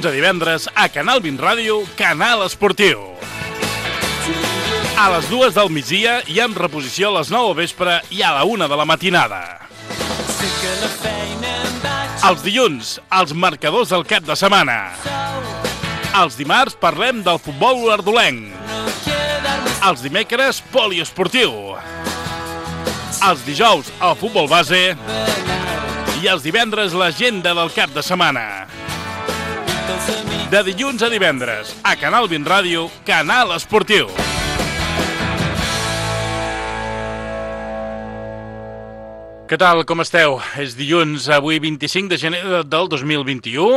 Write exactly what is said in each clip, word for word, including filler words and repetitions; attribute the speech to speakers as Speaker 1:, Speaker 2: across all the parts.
Speaker 1: dilluns a divendres a Canal vint Ràdio, Canal Esportiu. A les dues del migdia i amb reposició a les nou al vespre i a la una de la matinada. Els dilluns, els marcadors del cap de setmana. Els dimarts parlem del futbol ardolenc. Els dimecres, poliesportiu. Els dijous, el futbol base. I els divendres, l'agenda del cap de setmana. De dilluns a divendres, a Canal vint Ràdio, Canal Esportiu. Què tal, com esteu? És dilluns, avui vint-i-cinc de gener del dos mil vint-i-u.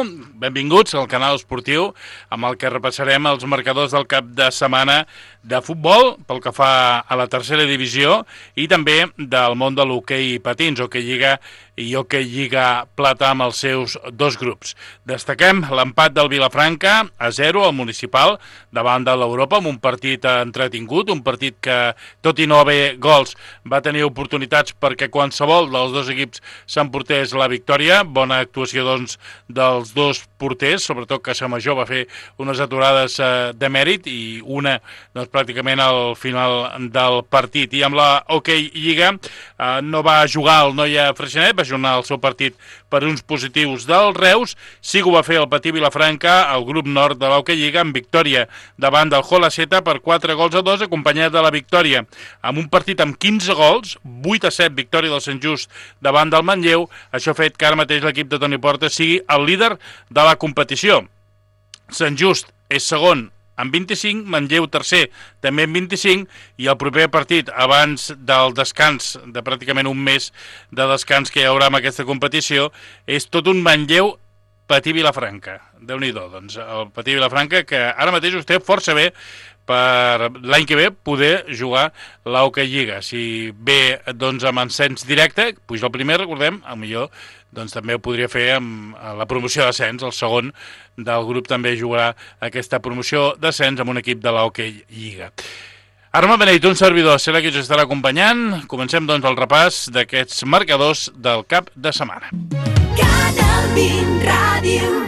Speaker 1: Benvinguts al Canal Esportiu, amb el que repassarem els marcadors del cap de setmana de futbol, pel que fa a la tercera divisió, i també del món de l'hoquei patins, hoquei lliga i hoquei lliga plata amb els seus dos grups. Destaquem l'empat del Vilafranca a zero al municipal davant de l'Europa, amb un partit entretingut, un partit que, tot i no haver gols, va tenir oportunitats perquè qualsevol dels dos equips s'emportés la victòria. Bona actuació, doncs, dels dos porters, sobretot Casamajor va fer unes aturades eh, de mèrit i una, doncs, pràcticament al final del partit. I amb la hoquei lliga eh, no va jugar el Noia Freixenet, va jugar el seu partit per uns positius del Reus. Sí que ho va fer el Patí Vilafranca, el grup nord de l'hoquei lliga, amb victòria davant del Jolaceta per quatre gols a dos, acompanyat de la victòria amb un partit amb quinze gols, vuit a set victòria del Sant Just davant del Manlleu. Això ha fet que ara mateix l'equip de Toni Porta sigui el líder de la competició. Sant Just és segon amb vint-i-cinc, Manlleu tercer també amb vint-i-cinc, i el proper partit abans del descans, de pràcticament un mes de descans que hi haurà en aquesta competició, és tot un Manlleu Patí Vilafranca. Déu-n'hi-do, doncs, el Patí Vilafranca, que ara mateix ho té força bé per l'any que ve poder jugar l'hoquei lliga. Si ve, doncs, amb ascens directe, puja el primer, recordem, el millor, doncs també ho podria fer amb la promoció d'ascens. El segon del grup també jugarà aquesta promoció d'ascens amb un equip de l'hoquei lliga. Arma Beneit, un servidor, serà qui us estarà acompanyant. Comencem, doncs, el repàs d'aquests marcadors del cap de setmana. Canal vint Ràdio.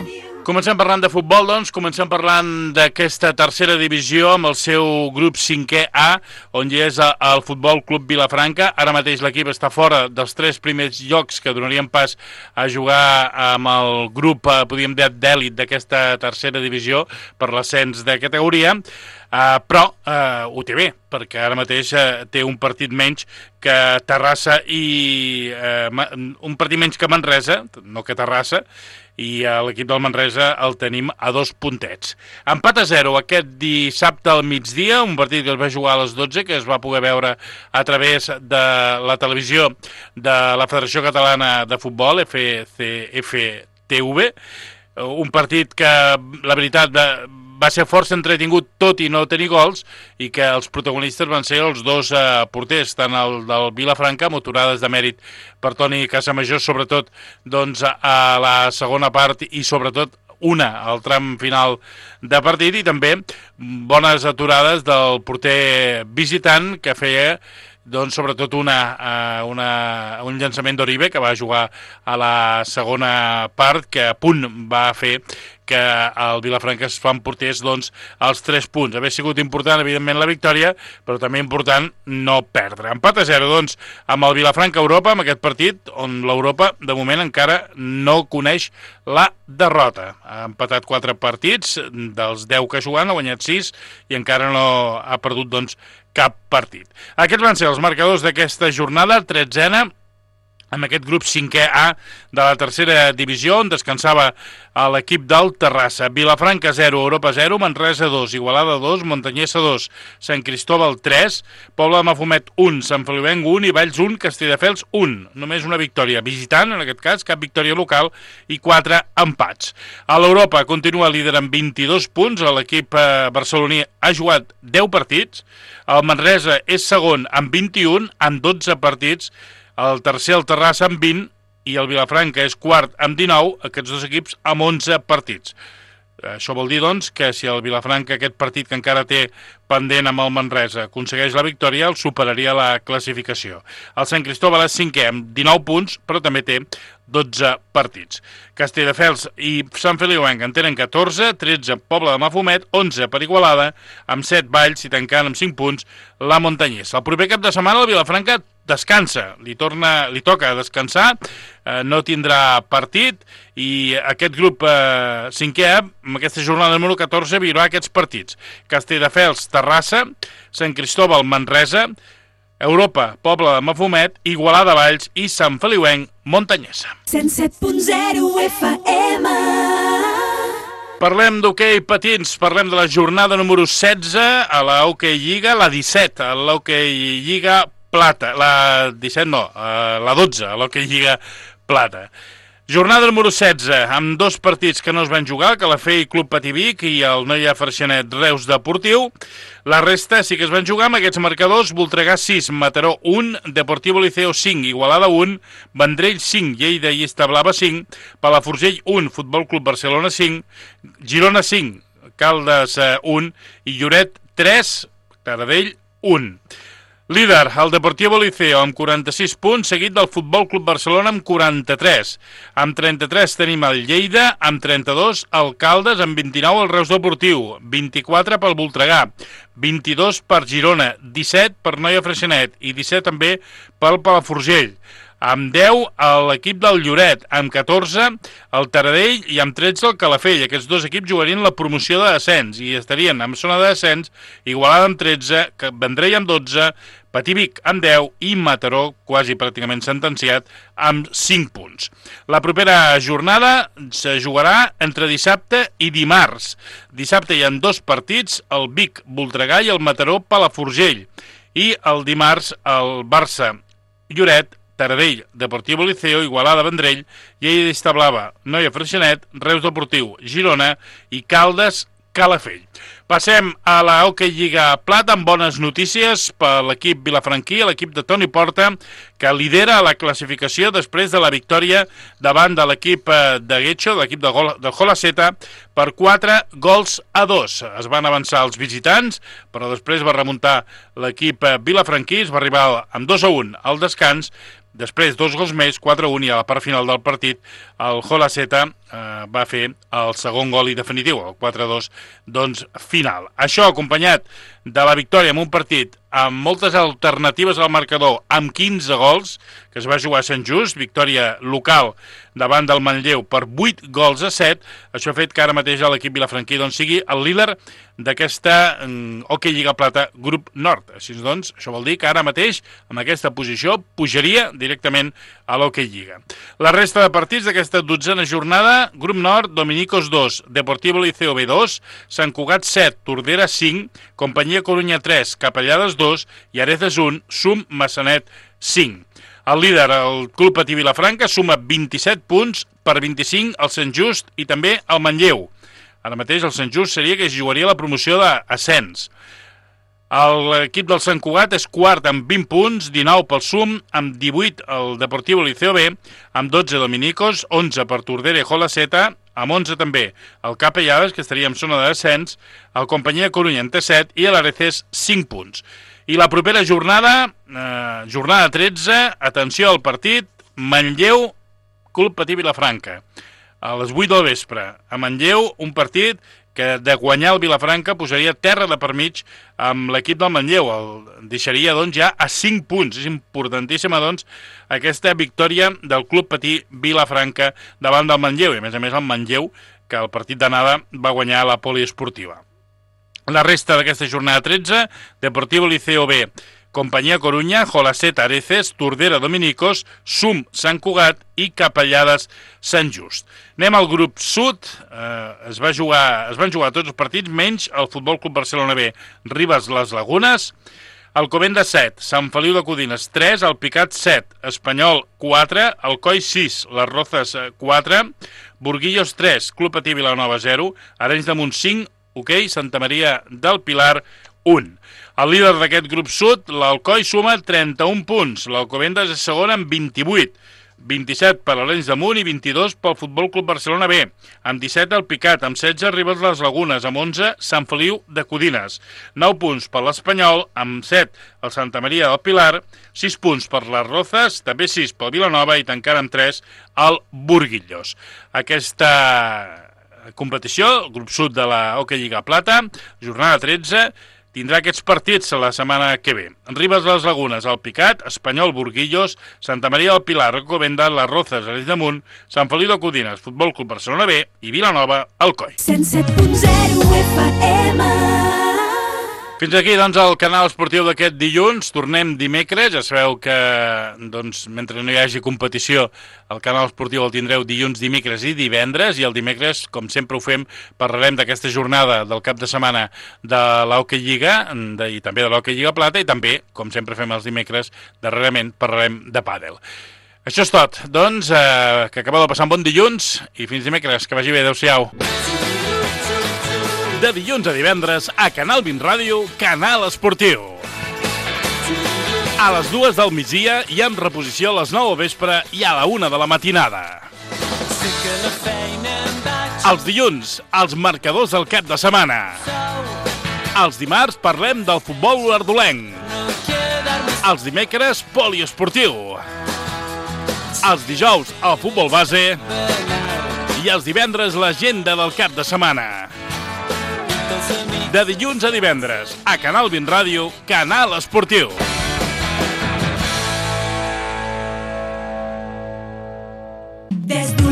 Speaker 1: Comencem parlant de futbol, doncs, comencem parlant d'aquesta tercera divisió amb el seu grup cinquè A, on hi és el Futbol Club Vilafranca. Ara mateix l'equip està fora dels tres primers llocs que donarien pas a jugar amb el grup, podríem dir, d'èlit d'aquesta tercera divisió per l'ascens de categoria. Uh, però uh, ho té bé, perquè ara mateix uh, té un partit menys que Terrassa i uh, un partit menys que Manresa, no que Terrassa, i uh, l'equip del Manresa el tenim a dos puntets. Empat a zero aquest dissabte al migdia, un partit que es va jugar a les dotze, que es va poder veure a través de la televisió de la Federació Catalana de Futbol, F C F T V, un partit que, la veritat, va ser força entretingut tot i no tenir gols, i que els protagonistes van ser els dos eh, porters, tant el del Vilafranca, amb aturades de mèrit per Toni Casamajor, sobretot, doncs, a la segona part, i sobretot una al tram final de partit, i també bones aturades del porter visitant, que feia, doncs, sobretot una, una, un llançament d'Oribe, que va jugar a la segona part, que a punt va fer que el Vilafranca es fa emportés, doncs, els tres punts. Haver sigut important, evidentment, la victòria, però també important no perdre. Empat a zero, doncs, amb el Vilafranca Europa, amb aquest partit, on l'Europa, de moment, encara no coneix la derrota. Ha empatat quatre partits, dels deu que ha jugat, ha guanyat sis, i encara no ha perdut, doncs, cap partit. Aquests van ser els marcadors d'aquesta jornada, tretzena, amb aquest grup cinquè A de la tercera divisió, on descansava l'equip del Terrassa. Vilafranca zero, Europa zero, Manresa dos, Igualada dos, Montanyesa dos, Sant Cristóbal tres, Pobla de Mafumet un, Sant Feliuenc un i Valls un, Castelldefels un. Només una victòria visitant, en aquest cas, cap victòria local, i quatre empats. A l'Europa continua líder amb vint-i-dos punts, l'equip barceloní ha jugat deu partits, el Manresa és segon amb vint-i-un, amb dotze partits, el tercer, el Terrassa, amb vint, i el Vilafranca és quart amb dinou, aquests dos equips amb onze partits. Això vol dir, doncs, que si el Vilafranca, aquest partit que encara té pendent amb el Manresa, aconsegueix la victòria, el superaria la classificació. El Sant Cristóbal és cinquè amb dinou punts, però també té dotze partits. Castelldefels i Sant Feliuenc en tenen catorze, tretze Pobla de Mafumet, onze per Igualada, amb set Valls i tancant amb cinc punts la Montanyesa. El proper cap de setmana el Vilafranca descansa, li, torna, li toca descansar, eh, no tindrà partit i aquest grup eh, cinquè, amb aquesta jornada número catorze, viurà aquests partits. Castelldefels, Terrassa, Sant Cristóbal, Manresa, Europa, Pobla de Mafumet, Igualada, Valls i Sant Feliuenc, Montanyesa.
Speaker 2: cent set punt zero F M.
Speaker 1: Parlem d'hoquei patins, parlem de la jornada número setze a la Hockey Lliga, la disset a la Hockey Lliga Plata, la disset no, la dotze a l'Hockey Lliga Plata. Jornada número setze, amb dos partits que no es van jugar, Calafell Club Patí Vic i el Noia Freixenet Reus Deportiu. La resta sí que es van jugar amb aquests marcadors: Voltregà sis, Mataró un, Deportivo Liceo cinc, Igualada un, Vendrell cinc, Lleida i Establava cinc, Palafrugell un, Futbol Club Barcelona cinc, Girona cinc, Caldes un i Lloret tres, Taradell un. Líder, el Deportivo Liceo, amb quaranta-sis punts, seguit del Futbol Club Barcelona amb quaranta-tres. Amb trenta-tres tenim el Lleida, amb trenta-dos el Caldes, amb vint-i-nou el Reus Deportiu, vint-i-quatre pel Voltregà, vint-i-dos per Girona, disset per Noia Freixenet i disset també pel Palafrugell. Amb deu l'equip del Lloret, amb catorze el Taradell i amb tretze el Calafell. Aquests dos equips jugarien la promoció de descens i estarien en zona de descens, Igualada amb tretze, Vendrell amb dotze, Patí Vic amb deu i Mataró, quasi pràcticament sentenciat, amb cinc punts. La propera jornada se jugarà entre dissabte i dimarts. Dissabte hi ha dos partits, el Vic Voltregà i el Mataró Palafrugell. I el dimarts el Barça Lloret, Taradell, Deportivo Liceo, Igualada, Vendrell, Lleida d'Establava, Noia Freixenet, Reus Deportiu, Girona i Caldes, Calafell. Passem a la Hockey Lliga Plata amb bones notícies per l'equip vilafranquí, l'equip de Toni Porta, que lidera la classificació després de la victòria davant de l'equip de Getxo, de l'equip de, de Jolaceta, per quatre gols a dos. Es van avançar els visitants, però després va remuntar l'equip vilafranquí, es va arribar amb dos a un al descans. Després, dos gols més, quatre a un, i a la part final del partit, el Jolaceta eh, va fer el segon gol i definitiu, el quatre a dos, doncs, final. Això acompanyat de la victòria en un partit amb moltes alternatives al marcador, amb quinze gols, que es va jugar a Sant Just, victòria local davant del Manlleu per vuit gols a set, això ha fet que ara mateix l'equip vilafranquí doncs, sigui el líder d'aquesta um, Hockey Lliga Plata Grup Nord. Així doncs, això vol dir que ara mateix, amb aquesta posició, pujaria directament a l'Hockey Lliga. La resta de partits d'aquesta dotzena jornada: Grup Nord, Dominicos dos, Deportivo Liceo B dos, Sant Cugat set, Tordera cinc, Companyia Corunya tres, Capellades dos i Areces un, Sum Massanet cinc. El líder, el Club Patí Vilafranca, suma vint-i-set punts, per vint-i-cinc el Sant Just i també el Manlleu. Ara mateix el Sant Just seria que es jugaria la promoció d'ascens. L'equip del Sant Cugat és quart amb vint punts, dinou pel Sum, amb divuit el Deportivo Liceo B, amb dotze Dominicos, onze per Tordera i Jolaceta, amb onze també el Capellades, que estaria en zona de descens, el Companyia Corunya en té set i l'Areces cinc punts. I la propera jornada, eh, jornada tretze, atenció al partit, Manlleu, Club Patí Vilafranca, a les vuit del vespre. A Manlleu, un partit que de guanyar el Vilafranca posaria terra de per mig amb l'equip del Manlleu. El deixaria doncs, ja a cinc punts. És importantíssima doncs, aquesta victòria del Club Patí Vilafranca davant del Manlleu. I a més a més el Manlleu, que el partit d'anada va guanyar la poliesportiva. La resta d'aquesta jornada tretze, Deportivo Liceo B, Companyia Corunya, Jolaceta, Areces, Tordera, Dominicos, Sum, Sant Cugat i Capellades, Sant Just. Anem al grup sud, eh, es, va jugar, es van jugar tots els partits, menys el Futbol Club Barcelona B, Ribes Les Lagunes, Alcobendas set, Sant Feliu de Codines tres, el Picat set, Espanyol quatre, Alcoi sis, Les Rozas quatre, Burguillos tres, Club Patí Vilanova zero, Arenys de Munt cinc, Hoquei Santa Maria del Pilar un. El líder d'aquest grup sud, l'Alcoi, suma trenta-un punts. L'Alcobendas és segon amb vint-i-vuit. vint-i-set per l'Arenys de Munt i vint-i-dos pel Futbol Club Barcelona B. Amb disset el Picat, amb setze Ribes les Lagunes, amb onze Sant Feliu de Codines. nou punts per l'Espanyol, amb set el Santa Maria del Pilar, sis punts per les Rozas, també sis pel Vilanova i tancant amb tres el Burguillos. Aquesta competició, el grup sud de la Hockey Lliga Plata, jornada tretze, tindrà aquests partits la setmana que ve. Ribes les Lagunes, el Picat, Espanyol, Burguillos, Santa Maria del Pilar, Recovenda, les Rozas, Arenys de Munt, Sant Feliu de Codines, Futbol Club Barcelona B i Vilanova, Alcoi.
Speaker 2: cent set punt zero F M.
Speaker 1: Fins aquí, doncs, el canal esportiu d'aquest dilluns. Tornem dimecres. Ja sabeu que, doncs, mentre no hi hagi competició, el canal esportiu el tindreu dilluns, dimecres i divendres, i el dimecres, com sempre ho fem, parlarem d'aquesta jornada del cap de setmana de l'Hockey Lliga de, i també de l'Hockey Lliga Plata, i també, com sempre fem els dimecres, darrerament parlarem de pàdel. Això és tot. Doncs, eh, que acabeu de passar un bon dilluns i fins dimecres. Que vagi bé. Adéu-siau. De dilluns a divendres, a Canal vint Ràdio, Canal Esportiu. A les dues del migdia i amb reposició a les nou del vespre i a la una de la matinada. Els dilluns, els marcadors del cap de setmana. Els dimarts parlem del futbol ardolenc. Els dimecres, poliesportiu. Els dijous, el futbol base. I els divendres, l'agenda del cap de setmana. De dilluns a divendres, a Canal vint Ràdio, Canal Esportiu.
Speaker 2: Des d'un